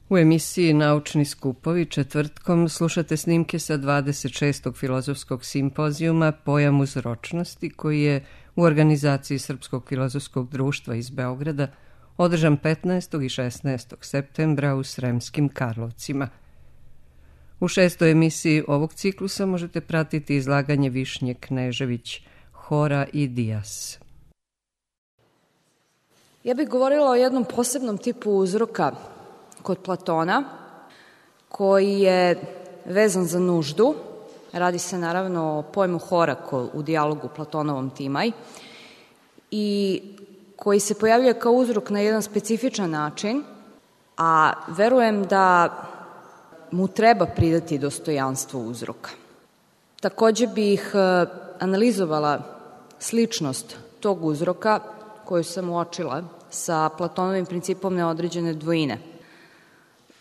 U emisiji Naučni skupovi četvrtkom slušate snimke sa 26. filozofskog simpozijuma Pojam uzročnosti, koji je u organizaciji Srpskog filozofskog društva iz Beograda održan 15. i 16. septembra u Sremskim Karlovcima. U 6. emisiji ovog ciklusa možete pratiti izlaganje Višnje Knežević, Hora i Dijas. Ja bih govorila o jednom posebnom tipu uzroka kod Platona, koji je vezan za nuždu. Radi se naravno o pojmu hora u dijalogu Platonovom Timaj i koji se pojavljuje kao uzrok na jedan specifičan način, a verujem da mu treba pridati dostojanstvo uzroka. Takođe bih analizovala sličnost tog uzroka koju sam uočila sa Platonovim principom neodređene dvojine.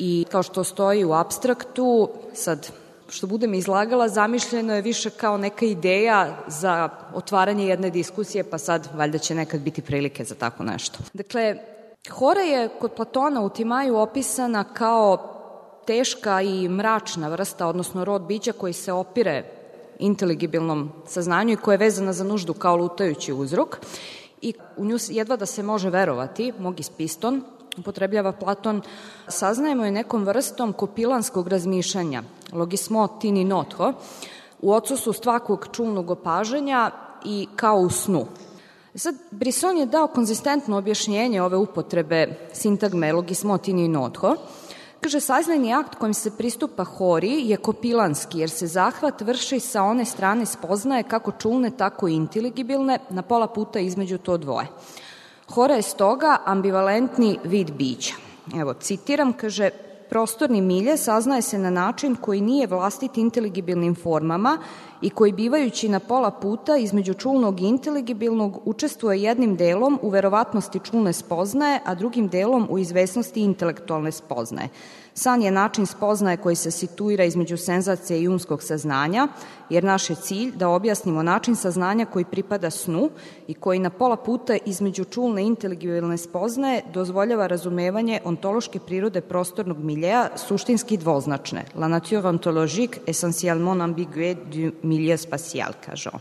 I kao što stoji u apstraktu, sad što budem izlagala, zamišljeno je više kao neka ideja za otvaranje jedne diskusije, pa sad valjda će nekad biti prilike za tako nešto. Dakle, hora je kod Platona u Timaju opisana kao teška i mračna vrsta, odnosno rod bića koji se opire inteligibilnom saznanju i koja je vezana za nuždu kao lutajući uzrok i u nju jedva da se može verovati, mogis piston, upotrebljava Platon, saznajemo je nekom vrstom kopilanskog razmišljanja, logismo tini notho, u odsustvu svakog čulnog opažanja i kao u snu. Sad, Brisson je dao konzistentno objašnjenje ove upotrebe sintagme logismo tini notho. Kaže, saznajni akt kojim se pristupa hori je kopilanski, jer se zahvat vrši sa one strane spoznaje kako čulne, tako i inteligibilne, na pola puta između to dvoje. Hora je stoga ambivalentni vid bića. Evo, citiram, kaže, prostorni milje saznaje se na način koji nije vlastit inteligibilnim formama i koji bivajući na pola puta između čulnog i inteligibilnog učestvuje jednim delom u verovatnosti čulne spoznaje, a drugim delom u izvesnosti intelektualne spoznaje. San je način spoznaje koji se situira između senzacije i umskog saznanja, jer naš je cilj da objasnimo način saznanja koji pripada snu i koji na pola puta između čulne i inteligibilne spoznaje dozvoljava razumevanje ontološke prirode prostornog miljeja suštinski dvoznačne. La nature ontologique essentiellement ambiguë du milieu spatial, kaže on.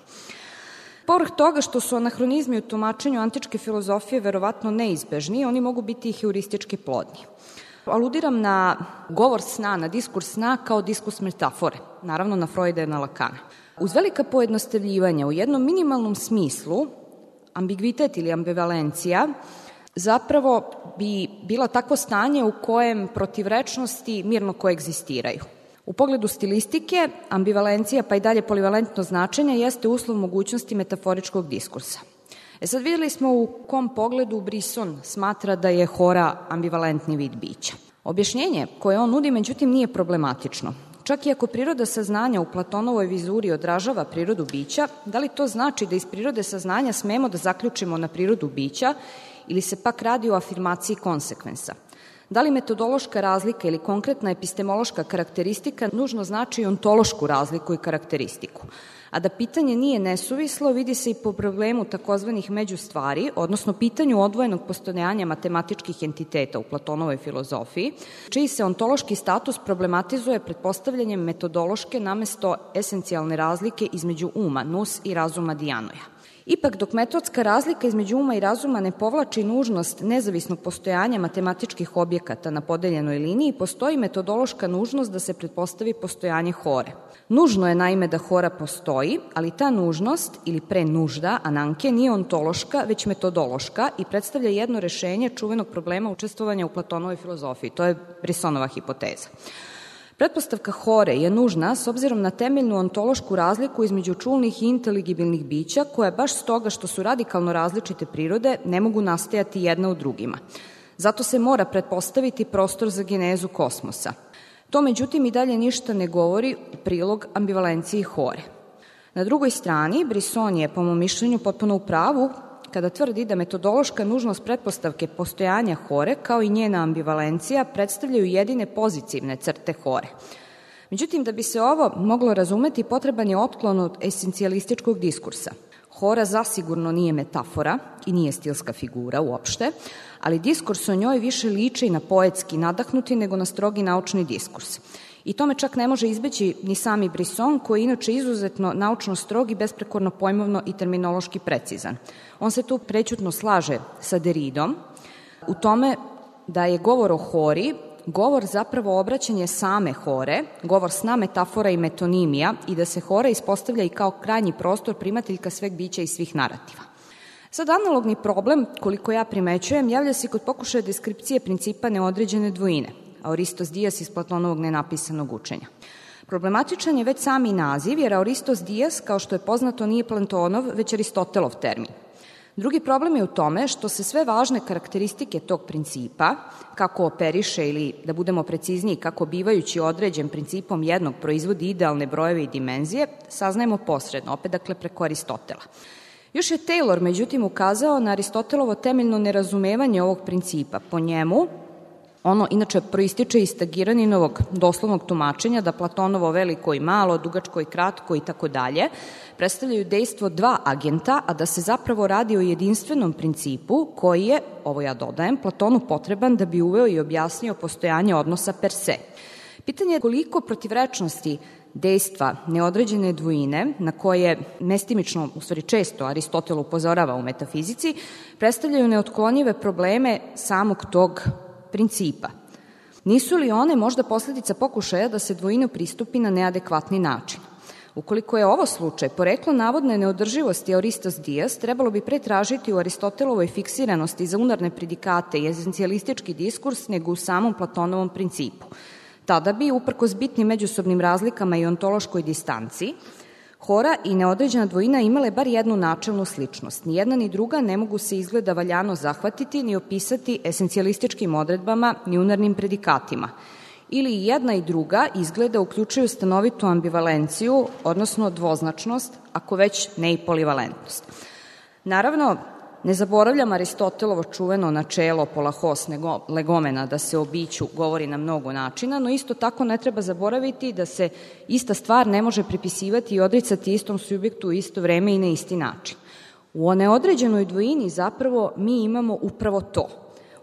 Povrh toga što su anahronizmi u tumačenju antičke filozofije verovatno neizbežni, oni mogu biti i heuristički plodni. Aludiram na govor sna, na diskurs sna kao diskurs metafore, naravno na Freuda i na Lakana. Uz velika pojednostavljivanja u jednom minimalnom smislu, ambigvitet ili ambivalencija zapravo bi bila takvo stanje u kojem protivrečnosti mirno koegzistiraju. U pogledu stilistike, ambivalencija pa i dalje polivalentno značenje jeste uslov mogućnosti metaforičkog diskursa. Sad videli smo u kom pogledu Brisson smatra da je hora ambivalentni vid bića. Objašnjenje koje on nudi, međutim, nije problematično. Čak i ako priroda saznanja u Platonovoj vizuri odražava prirodu bića, da li to znači da iz prirode saznanja smemo da zaključimo na prirodu bića ili se pak radi o afirmaciji konsekvensa? Da li metodološka razlika ili konkretna epistemološka karakteristika nužno znači ontološku razliku i karakteristiku? A da pitanje nije nesuvislo, vidi se i po problemu takozvanih međustvari, odnosno pitanju odvojenog postojanja matematičkih entiteta u Platonovoj filozofiji, čiji se ontološki status problematizuje pretpostavljanjem metodološke namesto esencijalne razlike između uma, nous i razuma dijanoja. Ipak, dok metodska razlika između uma i razuma ne povlači nužnost nezavisnog postojanja matematičkih objekata na podeljenoj liniji, postoji metodološka nužnost da se pretpostavi postojanje hore. Nužno je naime da hora postoji, ali ta nužnost ili prenužda, ananke, nije ontološka, već metodološka i predstavlja jedno rešenje čuvenog problema učestvovanja u Platonovoj filozofiji. To je Brissonova hipoteza. Pretpostavka hore je nužna s obzirom na temeljnu ontološku razliku između čulnih i inteligibilnih bića, koja baš stoga što su radikalno različite prirode ne mogu nastajati jedna u drugima. Zato se mora pretpostaviti prostor za genezu kosmosa. To, međutim, i dalje ništa ne govori u prilog ambivalenciji hore. Na drugoj strani, Brisson je, po mom mišljenju, potpuno u pravu kada tvrdi da metodološka nužnost pretpostavke postojanja hore, kao i njena ambivalencija, predstavljaju jedine pozitivne crte hore. Međutim, da bi se ovo moglo razumeti, potreban je otklon od esencijalističkog diskursa. Hora zasigurno nije metafora i nije stilska figura uopšte, ali diskurs o njoj više liči na poetski nadahnuti nego na strogi naučni diskurs. I tome čak ne može izbeći ni sami Brisson, koji je inače izuzetno naučno strog i besprekorno pojmovno i terminološki precizan. On se tu prećutno slaže sa Derridom u tome da je govor o hori govor zapravo obraćanje same hore, govor sna, metafora i metonimija i da se hora ispostavlja i kao krajnji prostor primateljka sveg bića i svih narativa. Sad, analogni problem, koliko ja primećujem, javlja se kod pokušaja deskripcije principa neodređene dvojine, Aoristos Dias iz Platonovog nenapisanog učenja. Problematičan je već sami naziv, jer Aoristos Dias, kao što je poznato, nije Platonov, već Aristotelov termin. Drugi problem je u tome što se sve važne karakteristike tog principa, kako operiše ili, da budemo precizniji, kako bivajući određen principom jednog proizvodi idealne brojeve i dimenzije, saznajemo posredno, opet dakle preko Aristotela. Još je Taylor, međutim, ukazao na Aristotelovo temeljno nerazumevanje ovog principa. Po njemu, ono inače proističe iz Tagiraninovog doslovnog tumačenja da Platonovo veliko i malo, dugačko i kratko i tako dalje predstavljaju dejstvo dva agenta, a da se zapravo radi o jedinstvenom principu koji je, ovo ja dodajem, Platonu potreban da bi uveo i objasnio postojanje odnosa per se. Pitanje je koliko protivrečnosti dejstva neodređene dvojine, na koje mestimično, u stvari često, Aristotel upozorava u metafizici, predstavljaju neotklonjive probleme samog tog principa. Nisu li one možda posledica pokušaja da se dvojinu pristupi na neadekvatni način? Ukoliko je ovo slučaj, poreklo navodne neodrživosti Aoristos Dias trebalo bi pretražiti u Aristotelovoj fiksiranosti za unarne predikate i esencijalistički diskurs nego u samom Platonovom principu. Tada bi, uprkos bitnim međusobnim razlikama i ontološkoj distanci, hora i neodređena dvojina imale bar jednu načelnu sličnost. Ni jedna ni druga ne mogu se izgleda valjano zahvatiti ni opisati esencijalističkim odredbama ni unarnim predikatima. Ili jedna i druga izgleda uključuju stanovitu ambivalenciju, odnosno dvoznačnost, ako već ne i polivalentnost. Naravno, ne zaboravljam Aristotelovo čuveno načelo polahos legomena, da se o biću govori na mnogo načina, no isto tako ne treba zaboraviti da se ista stvar ne može pripisivati i odricati istom subjektu u isto vreme i na isti način. U neodređenoj dvojini zapravo mi imamo upravo to.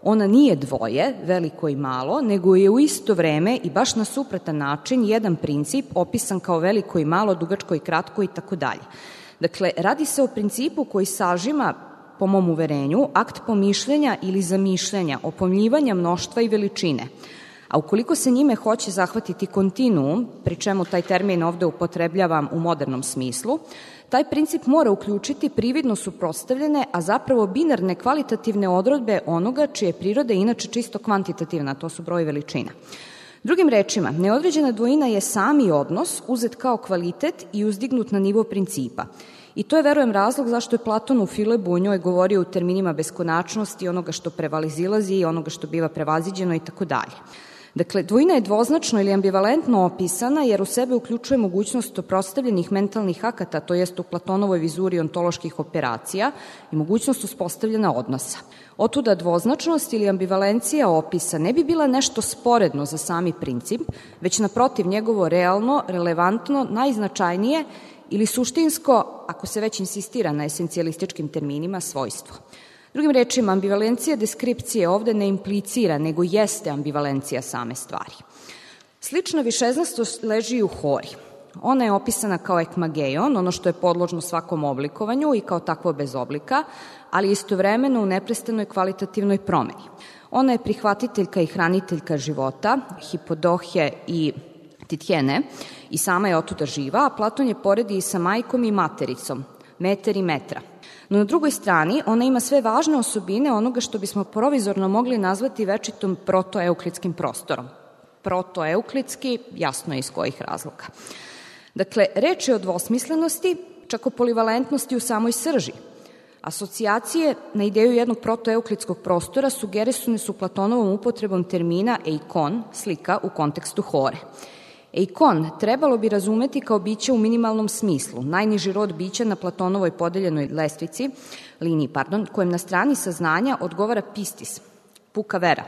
Ona nije dvoje, veliko i malo, nego je u isto vreme i baš na suprotan način jedan princip opisan kao veliko i malo, dugačko i kratko i tako dalje. Dakle, radi se o principu koji sažima, po mom uverenju, akt pomišljenja ili zamišljanja, opomljivanja mnoštva i veličine. A ukoliko se njime hoće zahvatiti kontinuum, pri čemu taj termin ovde upotrebljavam u modernom smislu, taj princip mora uključiti prividno suprotstavljene, a zapravo binarne kvalitativne odredbe onoga čije priroda je inače čisto kvantitativna, to su broj i veličina. Drugim rečima, neodređena dvojina je sami odnos uzet kao kvalitet i uzdignut na nivo principa. I to je, verujem, razlog zašto je Platon u Filebu o njoj govorio u terminima beskonačnosti, onoga što prevalizilazi i onoga što biva prevaziđeno i tako dalje. Dakle, dvojina je dvoznačno ili ambivalentno opisana jer u sebe uključuje mogućnost oprostavljenih mentalnih akata, to jest u Platonovoj vizuri ontoloških operacija i mogućnost uspostavljena odnosa. Otuda dvoznačnost ili ambivalencija opisa ne bi bila nešto sporedno za sami princip, već naprotiv njegovo realno, relevantno, najznačajnije ili suštinsko, ako se već insistira na esencijalističkim terminima, svojstvo. Drugim rečima, ambivalencija deskripcije ovde ne implicira, nego jeste ambivalencija same stvari. Slična višeznastost leži u hori. Ona je opisana kao ekmageion, ono što je podložno svakom oblikovanju i kao takvo bez oblika, ali istovremeno u neprestanoj kvalitativnoj promeni. Ona je prihvatiteljka i hraniteljka života, hipodohje i titjene, i sama je otuda živa, a Platon je poredi i sa majkom i matericom, meter i metra. No na drugoj strani ona ima sve važne osobine onoga što bismo provizorno mogli nazvati večitom protoeuklidskim prostorom. Protoeuklidski, jasno je iz kojih razloga. Dakle, reč je o dvosmislenosti, čak o polivalentnosti u samoj srži. Asocijacije na ideju jednog protoeuklidskog prostora sugerisane su Platonovom upotrebom termina eikon, slika, u kontekstu hore. Eikon trebalo bi razumeti kao biće u minimalnom smislu, najniži rod bića na Platonovoj podeljenoj liniji, kojem na strani saznanja odgovara pistis, puka vera.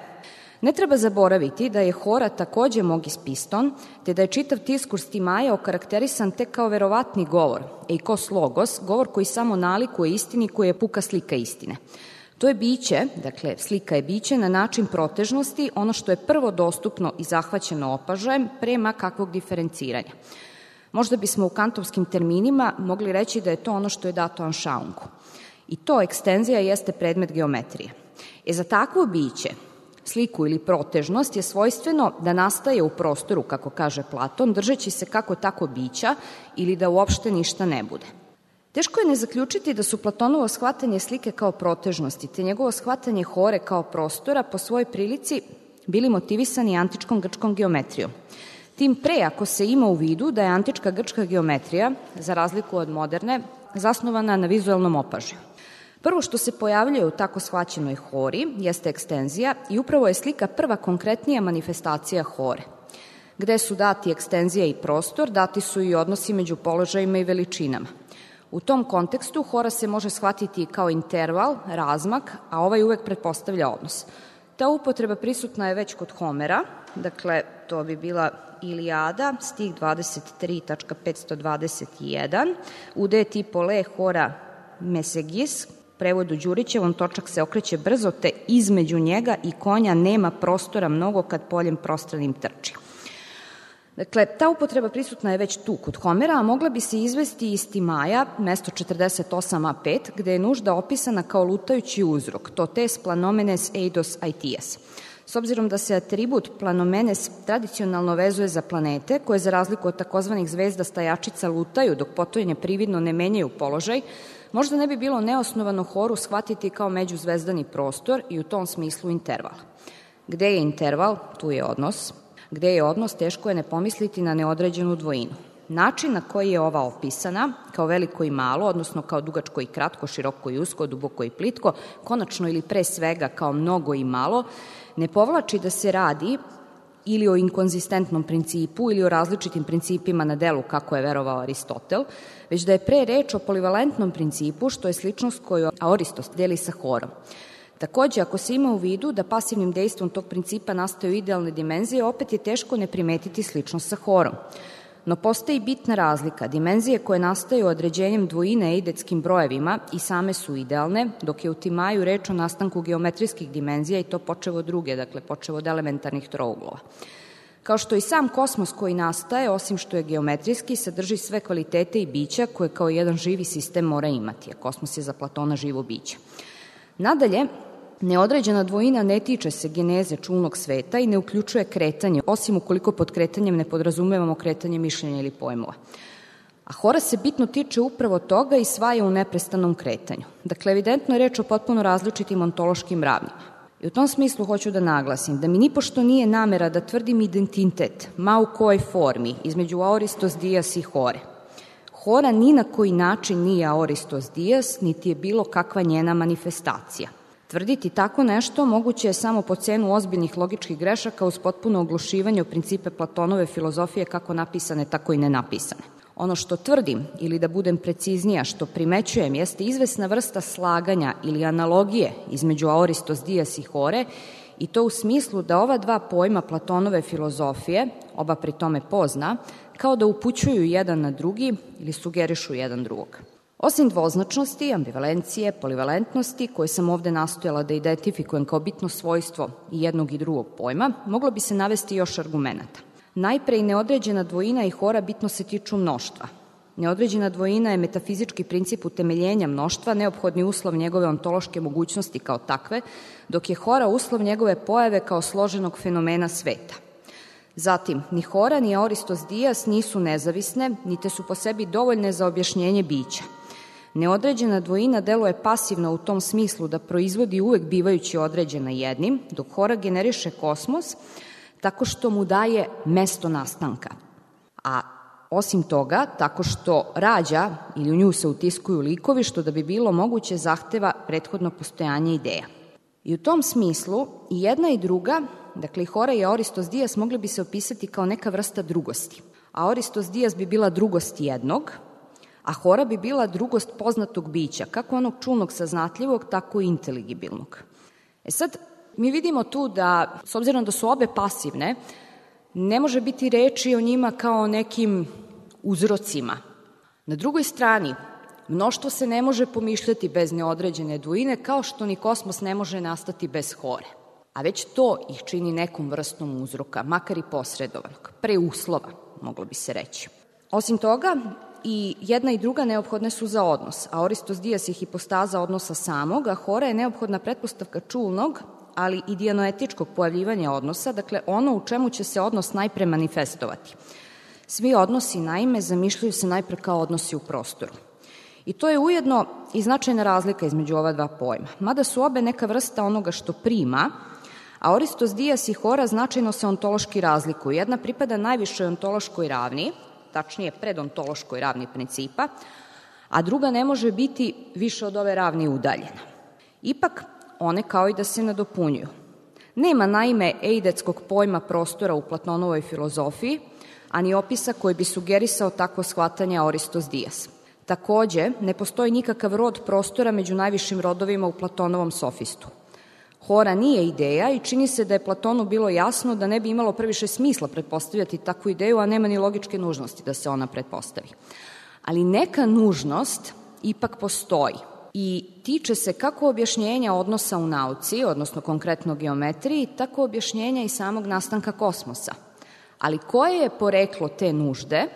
Ne treba zaboraviti da je Hora takođe mogis piston, te da je čitav diskurs Timaja okarakterisan tek kao verovatni govor, eikos logos, govor koji samo nalikuje istini, koji je puka slika istine. To je biće, dakle slika je biće na način protežnosti, ono što je prvo dostupno i zahvaćeno opažajem prema kakvog diferenciranja. Možda bismo u kantovskim terminima mogli reći da je to ono što je dato Anšaungu. I to ekstenzija jeste predmet geometrije. Za takvo biće, sliku ili protežnost, je svojstveno da nastaje u prostoru, kako kaže Platon, držeći se kako tako bića ili da uopšte ništa ne bude. Teško je ne zaključiti da su Platonovo shvatanje slike kao protežnosti, te njegovo shvatanje Hore kao prostora po svojoj prilici bili motivisani antičkom grčkom geometrijom. Tim pre ako se ima u vidu da je antička grčka geometrija, za razliku od moderne, zasnovana na vizuelnom opažaju. Prvo što se pojavljuje u tako shvaćenoj Hori jeste ekstenzija i upravo je slika prva konkretnija manifestacija Hore. Gde su dati ekstenzija i prostor, dati su i odnosi među položajima i veličinama. U tom kontekstu Hora se može shvatiti kao interval, razmak, a ovaj uvek pretpostavlja odnos. Ta upotreba prisutna je već kod Homera, dakle to bi bila Ilijada, stih 23.521, ude tipo le Hora mesegis, prevodu Đurićevom, točak se okreće brzo, te između njega i konja nema prostora mnogo kad poljem prostranim trči. Dakle, ta upotreba prisutna je već tu kod Homera, a mogla bi se izvesti iz Timaja, mesto 48a5, gde je nužda opisana kao lutajući uzrok, to tes planomenes eidos aitias. S obzirom da se atribut planomenes tradicionalno vezuje za planete, koje za razliku od takozvanih zvezda stajačica lutaju dok potojanje prividno ne menjaju položaj, možda ne bi bilo neosnovano Horu shvatiti kao međuzvezdani prostor i u tom smislu interval. Gde je interval, tu je odnos. Gde je odnos, teško je ne pomisliti na neodređenu dvojinu. Način na koji je ova opisana, kao veliko i malo, odnosno kao dugačko i kratko, široko i usko, duboko i plitko, konačno ili pre svega kao mnogo i malo, ne povlači da se radi ili o inkonzistentnom principu ili o različitim principima na delu, kako je verovao Aristotel, već da je pre reč o polivalentnom principu, što je sličnost koju Aristos deli sa Horom. Takođe, ako se ima u vidu da pasivnim dejstvom tog principa nastaju idealne dimenzije, opet je teško ne primetiti sličnost sa Horom. No postoji bitna razlika. Dimenzije koje nastaju određenjem dvojine eidetskim brojevima i same su idealne, dok je u Timaju reč o nastanku geometrijskih dimenzija i to počev od druge, dakle počev od elementarnih trouglova. Kao što i sam kosmos koji nastaje, osim što je geometrijski, sadrži sve kvalitete i bića koje kao jedan živi sistem mora imati, a kosmos je za Platona živo biće. Nadalje, neodređena dvojina ne tiče se geneze čulnog sveta i ne uključuje kretanje, osim ukoliko pod kretanjem ne podrazumevamo kretanje mišljenja ili pojmova. A Hora se bitno tiče upravo toga i svaja u neprestanom kretanju. Dakle, evidentno je reč o potpuno različitim ontološkim ravnima. I u tom smislu hoću da naglasim da mi nipošto nije namera da tvrdim identitet, ma u kojoj formi, između Aoristos Dias i Hore. Hora ni na koji način nije Aoristos Dias, niti je bilo kakva njena manifestacija. Tvrditi tako nešto moguće je samo po cenu ozbiljnih logičkih grešaka uz potpuno oglušivanje u principe Platonove filozofije kako napisane, tako i nenapisane. Ono što tvrdim, ili da budem preciznija, što primećujem, jeste izvesna vrsta slaganja ili analogije između Aoristos Dias i Hore, i to u smislu da ova dva pojma Platonove filozofije, oba pri tome pozna, kao da upućuju jedan na drugi ili sugerišu jedan drugog. Osim dvoznačnosti, ambivalencije, polivalentnosti, koje sam ovde nastojala da identifikujem kao bitno svojstvo i jednog i drugog pojma, moglo bi se navesti još argumenata. Najpre i neodređena dvojina i Hora bitno se tiču mnoštva. Neodređena dvojina je metafizički princip utemeljenja mnoštva, neophodni uslov njegove ontološke mogućnosti kao takve, dok je Hora uslov njegove pojave kao složenog fenomena sveta. Zatim, ni Hora ni Aoristos Dias nisu nezavisne, niti su po sebi dovoljne za objašnjenje bića. Neodređena dvojina deluje pasivno u tom smislu da proizvodi uvek bivajući određena jednim, dok Hora generiše kosmos tako što mu daje mesto nastanka. A osim toga, tako što rađa ili u nju se utiskuju likovi, što da bi bilo moguće zahteva prethodno postojanje ideja. I u tom smislu i jedna i druga, dakle i Hora i Aoristos Dias, mogli bi se opisati kao neka vrsta drugosti. Aoristos Dias bi bila drugost jednog, a Hora bi bila drugost poznatog bića, kako onog čulnog saznatljivog, tako i inteligibilnog. Sad, mi vidimo tu da, s obzirom da su obe pasivne, ne može biti reči o njima kao nekim uzrocima. Na drugoj strani, mnoštvo se ne može pomišljati bez neodređene dvojine, kao što ni kosmos ne može nastati bez hore. A već to ih čini nekom vrstom uzroka, makar i posredovanog, preuslova, moglo bi se reći. Osim toga, i jedna i druga neophodne su za odnos. Aoristos Dias je hipostaza odnosa samog, a hora je neophodna pretpostavka čulnog, ali i dijanoetičkog pojavljivanja odnosa, dakle ono u čemu će se odnos najpre manifestovati. Svi odnosi, naime, zamišljaju se najpre kao odnosi u prostoru. I to je ujedno i značajna razlika između ova dva pojma. Mada su obe neka vrsta onoga što prima, Aoristos Dias i hora značajno se ontološki razlikuju. Jedna pripada najvišoj ontološkoj ravni, tačnije predontološkoj ravni principa, a druga ne može biti više od ove ravni udaljena. Ipak, one kao i da se nadopunjuju. Nema naime eidetskog pojma prostora u Platonovoj filozofiji, a ni opisa koji bi sugerisao takvo shvatanje Aoristos Dias. Takođe, ne postoji nikakav rod prostora među najvišim rodovima u Platonovom sofistu. Hora nije ideja i čini se da je Platonu bilo jasno da ne bi imalo previše smisla pretpostavljati takvu ideju, a nema ni logičke nužnosti da se ona pretpostavi. Ali neka nužnost ipak postoji i tiče se kako objašnjenja odnosa u nauci, odnosno konkretno geometriji, tako objašnjenja i samog nastanka kosmosa. Ali koje je poreklo te nužde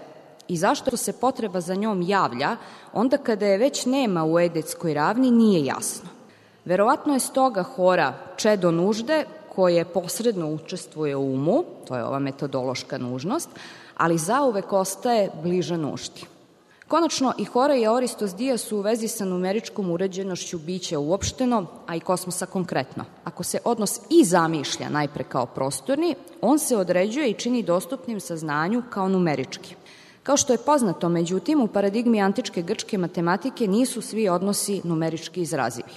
i zašto se potreba za njom javlja onda kada je već nema u eidetskoj ravni nije jasno. Verovatno je stoga hora čedo nužde koje posredno učestvuje u umu, to je ova metodološka nužnost, ali zauvek ostaje bliža nuždi. Konačno, i hora i Aoristos Dias su u vezi sa numeričkom uređenošću bića uopšteno, a i kosmosa konkretno. Ako se odnos i zamišlja najpre kao prostorni, on se određuje i čini dostupnim saznanju kao numerički. Kao što je poznato, međutim, u paradigmi antičke grčke matematike nisu svi odnosi numerički izrazivi.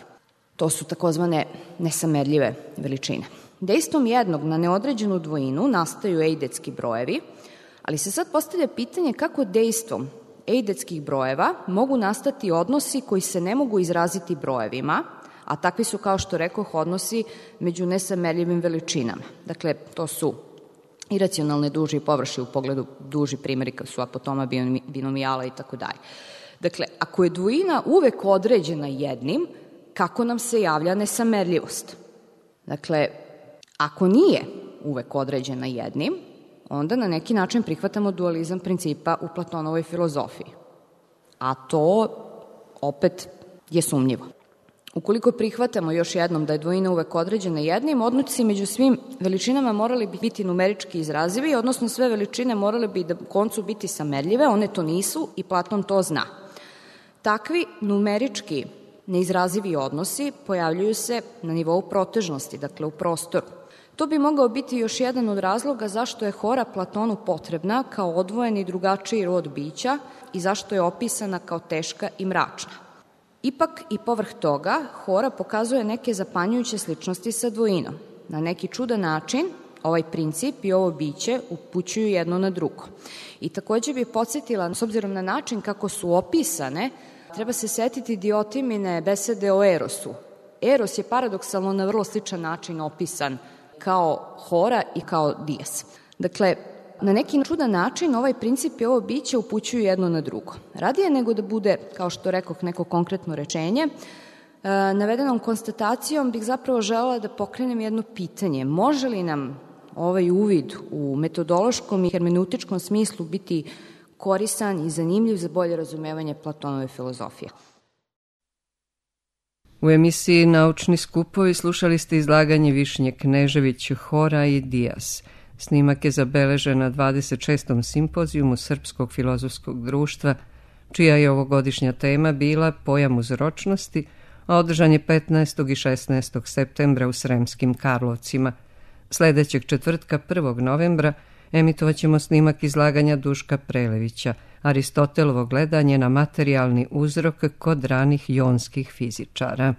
To su takozvane nesamerljive veličine. Dejstvom jednog na neodređenu dvojinu nastaju eidetski brojevi, ali se sad postavlja pitanje kako dejstvom eidetskih brojeva mogu nastati odnosi koji se ne mogu izraziti brojevima, a takvi su, kao što rekoh, odnosi među nesamerljivim veličinama. Dakle, to su iracionalne duži i površi u pogledu duži primjeri kao su apotoma, binomijala i tako dalje. Dakle, ako je dvojina uvek određena jednim, kako nam se javlja nesamerljivost? Dakle, ako nije uvek određena jednim, onda na neki način prihvatamo dualizam principa u Platonovoj filozofiji. A to opet je sumnjivo. Ukoliko prihvatamo još jednom da je dvojina uvek određena jednim, odnosi među svim veličinama morali bi biti numerički izrazivi, odnosno sve veličine morale bi da koncu biti samerljive, one to nisu i Platon to zna. Takvi numerički neizrazivi odnosi pojavljuju se na nivou protežnosti, dakle u prostoru. To bi mogao biti još jedan od razloga zašto je hora Platonu potrebna kao odvojen i drugačiji rod bića i zašto je opisana kao teška i mračna. Ipak i povrh toga, hora pokazuje neke zapanjujuće sličnosti sa dvojinom. Na neki čudan način, ovaj princip i ovo biće upućuju jedno na drugo. I takođe bi podsjetila, s obzirom na način kako su opisane, treba se setiti Diotimine besede o Erosu. Eros je paradoksalno na vrlo sličan način opisan kao hora i kao Dias. Dakle, na neki čudan način ovaj princip i ovo biće upućuju jedno na drugo. Radije nego da bude, kao što rekoh, neko konkretno rečenje, navedenom konstatacijom bih zapravo želela da pokrenem jedno pitanje. Može li nam ovaj uvid u metodološkom i hermeneutičkom smislu biti koristan i zanimljiv za bolje razumevanje Platonove filozofije? U emisiji Naučni skupovi slušali ste izlaganje Višnje Knežević, Hora i Dias. Snimak je zabeležen na 26. simpozijumu Srpskog filozofskog društva, čija je ovogodišnja tema bila Pojam uzročnosti, a održan je 15. i 16. septembra u Sremskim Karlovcima. Sledećeg četvrtka, 1. novembra, emitovat ćemo snimak izlaganja Duška Prelevića, Aristotelovo gledanje na materijalni uzrok kod ranih jonskih fizičara.